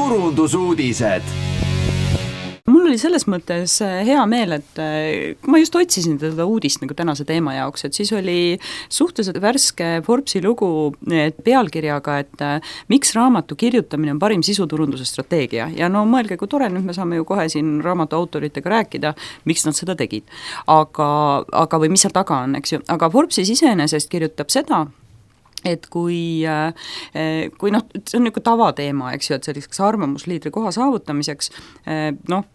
turundusuudised. Mul oli selles mõttes hea meel, et kui ma just otsisin teda uudist nagu tänase teema jaoks, et siis oli suhteliselt värske Forbesi lugu pealkirjaga, et miks raamatu kirjutamine on parim sisuturunduse strateegia. Ja no mõelge, kui tore, nüüd me saame ju kohe siin raamatu autoritega rääkida, miks nad seda tegid. Aga või mis seal taga on, eks ju. Aga Forbesis iseenesest kirjutab seda, et kui noh, see on niisugune tavateema, eks ju, et selliseks arvamusliidri koha saavutamiseks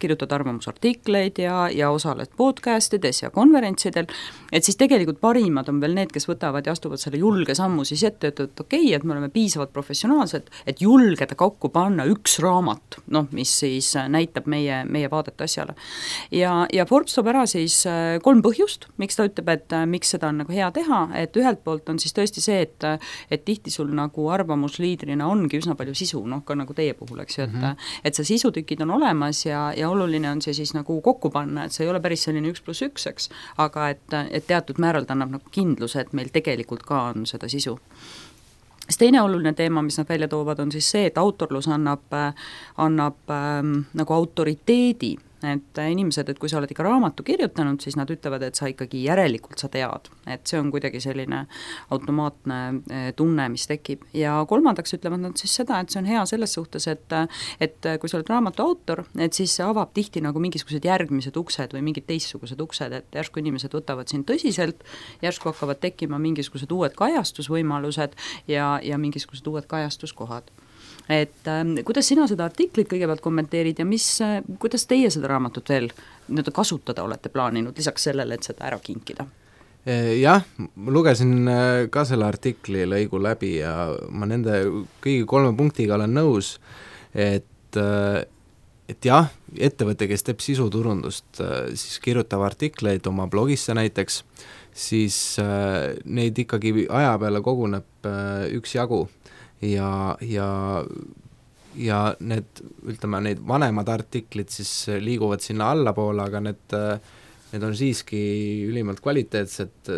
kirjutad arvamusartikleid ja osaled podcastides ja konverentsidel, et siis tegelikult parimad on veel need, kes võtavad ja astuvad selle julge sammu siis ette, et okei, et me oleme piisavalt professionaalsed, et julgeda kokku panna üks raamat, mis siis näitab meie vaadet asjale. Ja Forbes toob ära siis 3 põhjust, miks ta ütleb, et miks seda on nagu hea teha, et ühelt poolt on siis tõesti see, et tihti sul nagu arvamusliidrina ongi üsna palju sisu, ka nagu teie puhul, eks ju, et see sisutükid on olemas ja oluline on see siis nagu kokku panna, et see ei ole päris selline 1+1, eks, aga et teatud määral ta annab nagu kindluse, et meil tegelikult ka on seda sisu. Teine oluline teema, mis nad välja toovad, on siis see, et autorlus annab nagu autoriteedi, et inimesed, et kui sa oled ikka raamatu kirjutanud, siis nad ütlevad, et sa ikkagi järelikult sa tead, et see on kuidagi selline automaatne tunne, mis tekib. Ja kolmandaks ütlevad nad siis seda, et see on hea selles suhtes, et kui sa oled raamatu autor, et siis see avab tihti nagu mingisugused järgmised uksed või mingid teistsugused uksed, et järsku inimesed võtavad sind tõsiselt, järsku hakkavad tekkima mingisugused uued kajastusvõimalused ja mingisugused uued kajastuskohad. Et kuidas sina seda artiklit kõigepealt kommenteerid ja kuidas teie seda raamatut veel kasutada olete plaaninud, lisaks sellele, et seda ära kinkida? Jah, ma lugesin ka selle artikli lõigu läbi ja ma nende kõigi 3 punktiga olen nõus, et jah, ettevõte, kes teeb sisuturundust, siis kirjutab artikleid oma blogisse näiteks, siis neid ikkagi aja peale koguneb üksjagu. Ja need, ütleme, neid vanemad artiklid siis liiguvad sinna allapoole, aga need on siiski ülimalt kvaliteetsed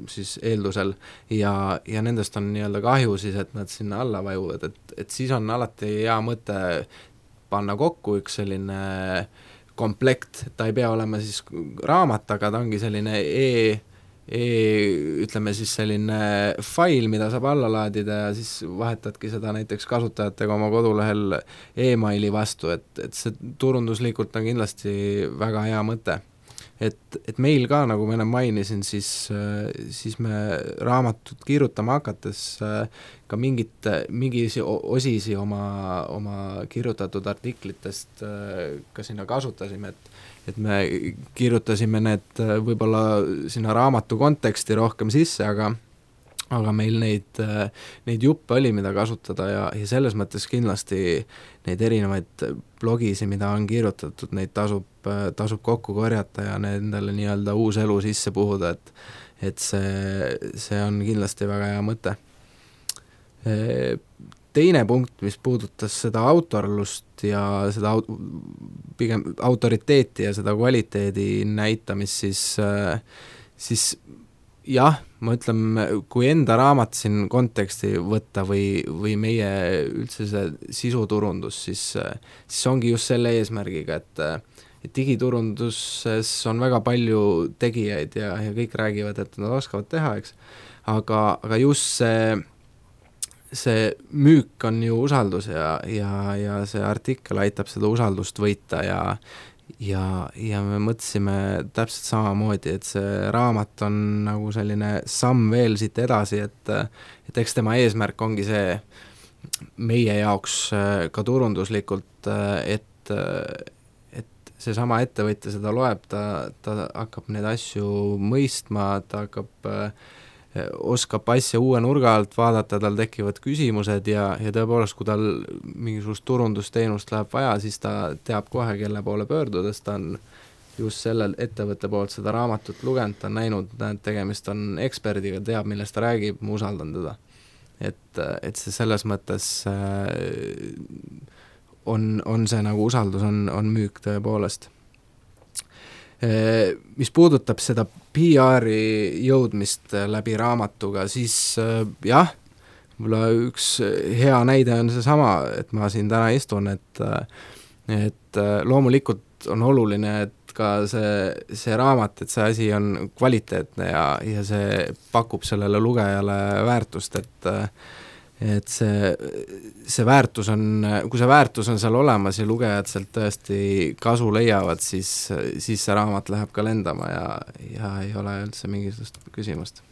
siis eeldusel ja nendest on nii-öelda kahju siis, et nad sinna alla vajuvad, et siis on alati hea mõte panna kokku üks selline komplekt, ta ei pea olema siis raamat, aga ta ongi selline ütleme siis selline fail, mida saab alla laadida ja siis vahetadki seda näiteks kasutajatega oma kodulehel e-maili vastu, et see turunduslikult on kindlasti väga hea mõte. Et meil ka, nagu ma enne mainisin, siis me raamatut kirjutama hakates ka mingisi osisi oma kirjutatud artiklitest ka sinna kasutasime, et me kirjutasime need võib-olla sinna raamatu konteksti rohkem sisse, aga meil neid juppe oli, mida kasutada ja selles mõttes kindlasti neid erinevaid blogisi, mida on kirjutatud, neid tasub kokku korjata ja nendele nii-öelda uus elu sisse puhuda, et see on kindlasti väga hea mõte. Teine punkt, mis puudutas seda autorlust ja seda pigem autoriteeti ja seda kvaliteedi näitamist, siis jah, ma ütlen, kui enda raamat siin konteksti võtta või meie üldse see sisuturundus, siis ongi just selle eesmärgiga, et digiturunduses on väga palju tegijaid ja kõik räägivad, et nad oskavad teha, eks, aga just see müük on ju usaldus ja see artikkel aitab seda usaldust võita ja me mõtlesime täpselt samamoodi, et see raamat on nagu selline samm veel siit edasi, et eks tema eesmärk ongi see meie jaoks ka turunduslikult, et seesama ettevõtja seda loeb, ta hakkab neid asju mõistma, ta oskab asja uue nurga alt vaadata, tal tekivad küsimused ja tõepoolest, kui tal mingisugust turundusteenust läheb vaja, siis ta teab kohe, kelle poole pöördudes, ta on just sellel ettevõtte poolt seda raamatut lugenud, ta on näinud, et tegemist on eksperdiga, teab, millest ta räägib, ma usaldan teda. Et see selles mõttes on see nagu usaldus on müük tõepoolest. Mis puudutab seda PR-i jõudmist läbi raamatuga, siis jah, võib-olla üks hea näide on seesama, et ma siin täna istun, et loomulikult on oluline, et ka see raamat, et see asi on kvaliteetne ja see pakub sellele lugejale väärtust, et see väärtus on, kui see väärtus on seal olemas ja lugejad sealt tõesti kasu leiavad, siis see raamat läheb ka lendama ja ei ole üldse mingisugust küsimust.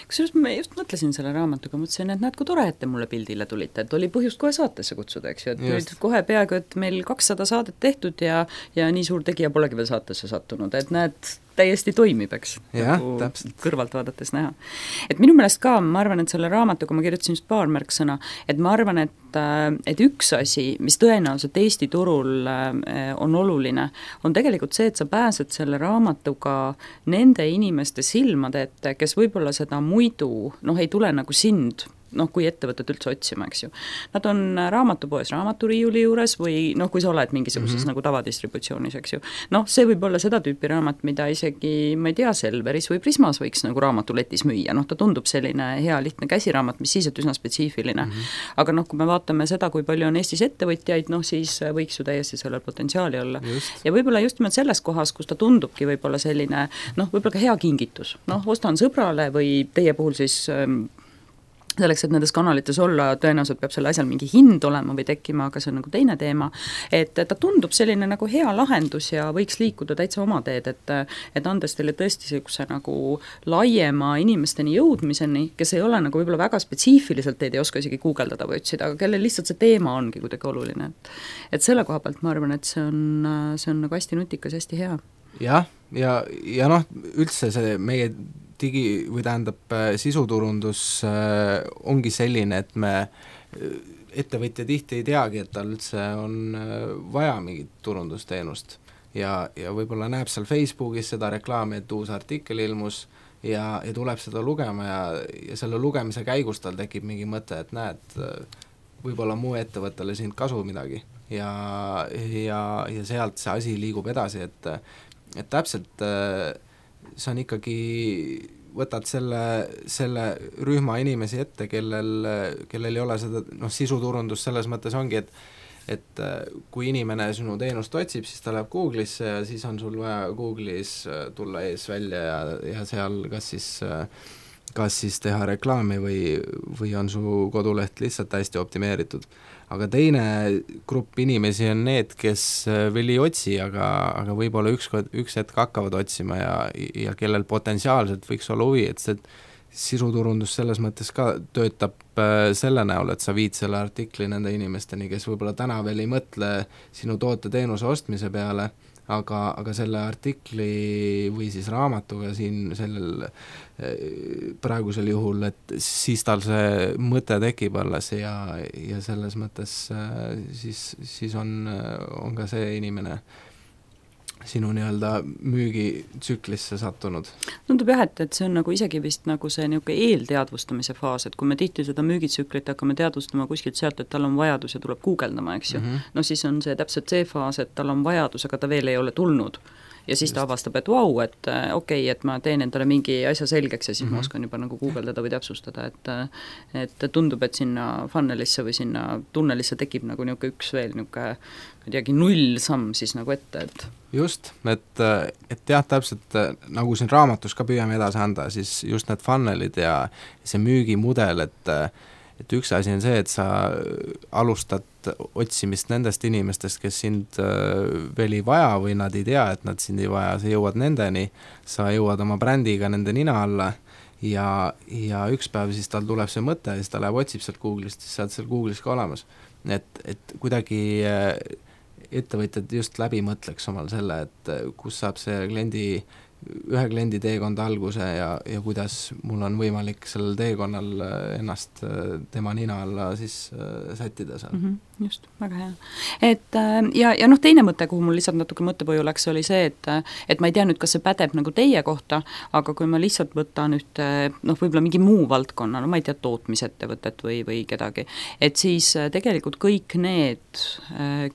Kusjuures ma just mõtlesin selle raamatuga, mõtlesin, et näed, kui tore, et te mulle pildile tulite, et oli põhjust kohe saatesse kutsuda, eks ju, et just. Nüüd kohe peaaegu, et meil 200 saadet tehtud ja nii suur tegija polegi veel saatesse sattunud, et näed, täiesti toimib, eks, nagu kõrvalt vaadates näha. Et minu meelest ka, ma arvan, et selle raamatuga ma kirjutasin just paar märksõna, et ma arvan, et üks asi, mis tõenäoliselt Eesti turul on oluline, on tegelikult see, et sa pääsed selle raamatuga nende inimeste silmade ette, kes võib-olla seda muidu, ei tule nagu sind, kui ettevõtted üldse otsima, eks ju. Nad on raamatupoes raamaturiiuli juures või kui sa oled mingisuguses nagu tavadistributsioonis, eks ju. See võib olla seda tüüpi raamat, mida isegi, ma ei tea, Selveris või Prismas võiks nagu raamatuletis müüa, ta tundub selline hea lihtne käsiraamat, mis siis, et üsna spetsiifiline. Aga kui me vaatame seda, kui palju on Eestis ettevõtjaid, siis võiks ju täiesti sellel potentsiaali olla. Ja võib-olla just nimelt selles kohas, kus ta tundubki võib-olla selline, võib-olla ka hea kingitus. Ostan sõbrale või teie puhul siis selleks, et nendes kanalites olla, tõenäoliselt peab selle asjal mingi hind olema või tekkima, aga see on nagu teine teema, et ta tundub selline nagu hea lahendus ja võiks liikuda täitsa oma teed, et andes teile tõesti sellise nagu laiema inimesteni jõudmiseni, kes ei ole nagu võib-olla väga spetsiifiliselt teid ei oska isegi guugeldada või otsida, aga kellel lihtsalt see teema ongi kuidagi oluline. Et selle koha pealt ma arvan, et see on nagu hästi nutikas, hästi hea. Ja üldse see meie või tähendab sisuturundus ongi selline, et me ettevõtja tihti ei teagi, et tal üldse on vaja mingit turundusteenust ja võib-olla näeb seal Facebookis seda reklaami, et uus artikkel ilmus ja tuleb seda lugema ja selle lugemise käigus tal tekib mingi mõte, et näed, võib-olla muu ettevõttele sind kasu midagi ja sealt see asi liigub edasi, et täpselt see on ikkagi, võtad selle rühma inimesi ette, kellel ei ole seda, sisuturundus selles mõttes ongi, et kui inimene sinu teenust otsib, siis ta läheb Google'isse ja siis on sul vaja Google'is tulla ees välja ja seal kas siis teha reklaami või on su koduleht lihtsalt hästi optimeeritud. Aga teine grupp inimesi on need, kes veel ei otsi, aga võib-olla üks hetk hakkavad otsima ja kellel potentsiaalselt võiks olla huvi, et see sisuturundus selles mõttes ka töötab selle näol, et sa viid selle artikli nende inimesteni, kes võib-olla täna veel ei mõtle sinu toote-teenuse ostmise peale, aga selle artikli või siis raamatuga siin sellel praegusel juhul, et siis tal see mõte tekib alles ja selles mõttes siis on ka see inimene sinu nii-öelda müügitsüklisse sattunud. Tundub jah, et see on nagu isegi vist nagu see niisugune eelteadvustamise faas, et kui me tihti seda müügitsüklit hakkame teadvustama kuskilt sealt, et tal on vajadus ja tuleb guugeldama, eks ju. Siis on see täpselt see faas, et tal on vajadus, aga ta veel ei ole tulnud. Ja siis ta avastab, et vau, et okei, et ma teen endale mingi asja selgeks ja siis ma oskan juba nagu guugeldada või täpsustada, et tundub, et sinna funnelisse või sinna tunnelisse tekib nagu niisugune üks veel niisugune, ma ei teagi, 0 samm siis nagu ette, et just, et jah, täpselt nagu siin raamatus ka püüame edasi anda, siis just need funnelid ja see müügimudel, et üks asi on see, et sa alustad otsimist nendest inimestest, kes sind veel ei vaja või nad ei tea, et nad sind ei vaja, sa jõuad nendeni, sa jõuad oma brändiga nende nina alla ja üks päev siis tal tuleb see mõte ja siis ta läheb otsib sealt Google'ist, siis saad seal Google'is ka olemas. Et kuidagi ettevõtjad just läbi mõtleks omal selle, et kus saab see ühe kliendi teekond alguse ja kuidas mul on võimalik sellel teekonnal ennast tema nina alla siis sättida seal. Just, väga hea. Et ja teine mõte, kuhu mul lihtsalt natuke mõttepõju läks, oli see, et ma ei tea nüüd, kas see pädeb nagu teie kohta, aga kui ma lihtsalt võtan ühte, võib-olla mingi muu valdkonna, ma ei tea, tootmisettevõtet või kedagi, et siis tegelikult kõik need,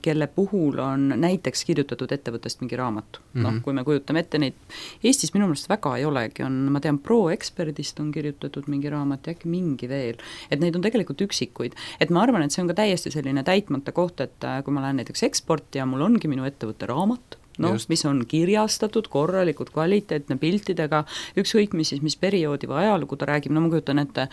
kelle puhul on näiteks kirjutatud ettevõttest mingi raamat, kui me kujutame ette neid Eestis minu meelest väga ei olegi, ma tean, ProExperdist on kirjutatud mingi raamat ja äkki mingi veel, et neid on tegelikult üksikuid. Et ma arvan, et see on ka täiesti selline täitmata koht, et kui ma lähen näiteks eksporti ja mul ongi minu ettevõtte raamat, mis on kirjastatud, korralikult kvaliteetne piltidega, ükskõik mis perioodi või ajalugu ta räägib, ma kujutan ette,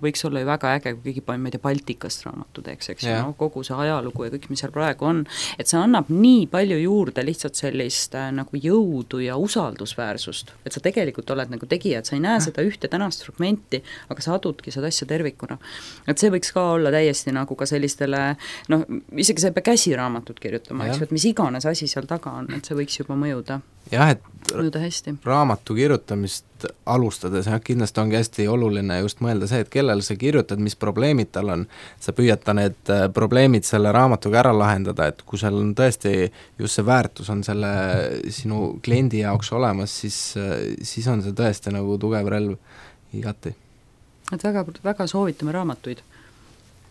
võiks olla ju väga äge, kui keegi paneb Baltikast raamatu teeks, eks ju, kogu see ajalugu ja kõik, mis seal praegu on, et see annab nii palju juurde lihtsalt sellist nagu jõudu ja usaldusväärsust, et sa tegelikult oled nagu tegija, et sa ei näe seda ühte tänast fragmenti, aga sa adudki seda asja tervikuna. Et see võiks ka olla täiesti nagu ka sellistele, isegi sa ei pea käsiraamatut kirjutama, eks ju, et mis iganes asi seal taga on, et see võiks juba mõjuda. Jah, et mõjuda hästi. Raamatu kirjutamist alustades kindlasti ongi hästi oluline just mõelda see, et kellel sa kirjutad, mis probleemid tal on, sa püüata need probleemid selle raamatuga ära lahendada, et kui seal on tõesti just see väärtus on selle sinu kliendi jaoks olemas, siis on see tõesti nagu tugev relv igati. Et väga soovitame raamatuid.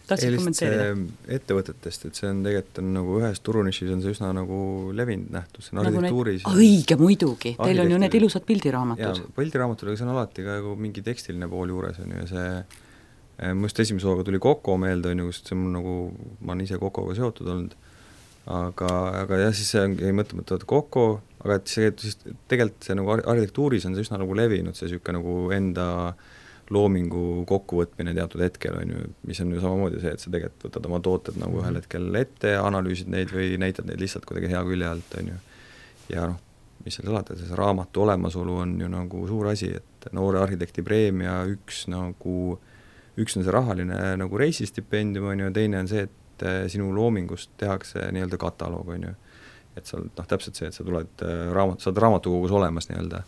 Ettevõtetest, et see on tegelikult nagu ühes turunišis on see üsna nagu levinud nähtus, see on arhitektuuris. Õige, muidugi, teil on ju need ilusad pildiraamatud. Jaa, pildiraamatud, aga see on alati ka mingi tekstiline pool juures on ju, ja see just esimese hooga tuli Koko meelde on ju, sest see on nagu, ma olen ise Kokoga seotud olnud, aga jah, siis see ongi mõtlemata Koko, aga et see tegelikult see nagu arhitektuuris on see üsna nagu levinud, see niisugune nagu enda loomingu kokkuvõtmine teatud hetkel on ju, mis on ju samamoodi see, et sa tegelikult võtad oma tooted nagu ühel hetkel ette, analüüsid neid või näitad neid lihtsalt kuidagi hea külje alt on ju. Ja mis seal salata, see raamatu olemasolu on ju nagu suur asi, et noore arhitekti preemia üks on see rahaline nagu reisistipendium on ju, teine on see, et sinu loomingust tehakse nii-öelda kataloog on ju. Et sa täpselt see, et sa tuled saad raamatukogus olemas nii-öelda.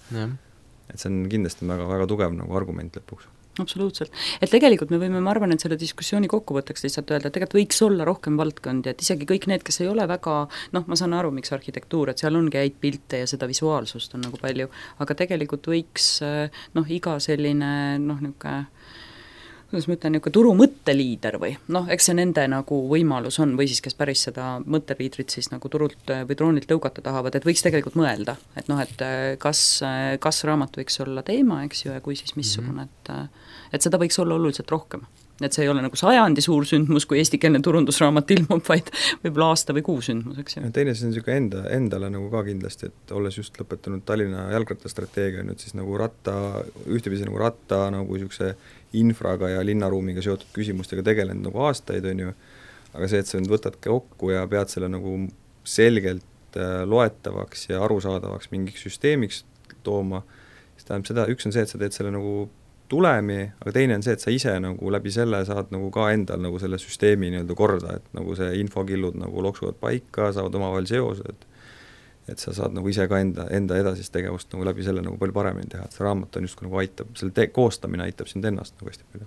Et see on kindlasti väga tugev nagu argument lõpuks. Absoluutselt. Et tegelikult me võime, ma arvan, et selle diskussiooni kokkuvõtteks lihtsalt öelda, et tegelikult võiks olla rohkem valdkondi, et isegi kõik need, kes ei ole väga, ma saan aru, miks arhitektuur, et seal ongi häid pilte ja seda visuaalsust on nagu palju, aga tegelikult võiks iga selline niisugune kuidas ma ütlen, niisugune turu mõtteliider või eks see nende nagu võimalus on või siis kes päris seda mõtteliidrit siis nagu turult või droonilt tõugata tahavad, et võiks tegelikult mõelda, et et kas raamat võiks olla teema, eks ju, ja kui siis missugune, et seda võiks olla oluliselt rohkem. Et see ei ole nagu 100 suur sündmus, kui eestikeelne turundusraamat ilmub, vaid võib-olla aasta või 6 sündmus, eks ju. Ja teine see on niisugune endale nagu ka kindlasti, et olles just lõpetanud Tallinna jalgrattastrateegia nüüd siis nagu ühtepidi nagu ratta nagu niisuguse infraga ja linnaruumiga seotud küsimustega tegelenud nagu aastaid on ju, aga see, et sa nüüd võtad kokku ja pead selle nagu selgelt loetavaks ja arusaadavaks mingiks süsteemiks tooma, siis tähendab seda, üks on see, et sa teed selle nagu tulemi, aga teine on see, et sa ise nagu läbi selle saad nagu ka endal nagu selle süsteemi nii-öelda korda, et nagu see infokillud nagu loksuvad paika, saavad omavahel seosed, et sa saad nagu ise ka enda edasist tegevust nagu läbi selle nagu palju paremini teha, et see raamat on just nagu aitab, selle koostamine aitab sind ennast nagu hästi palju.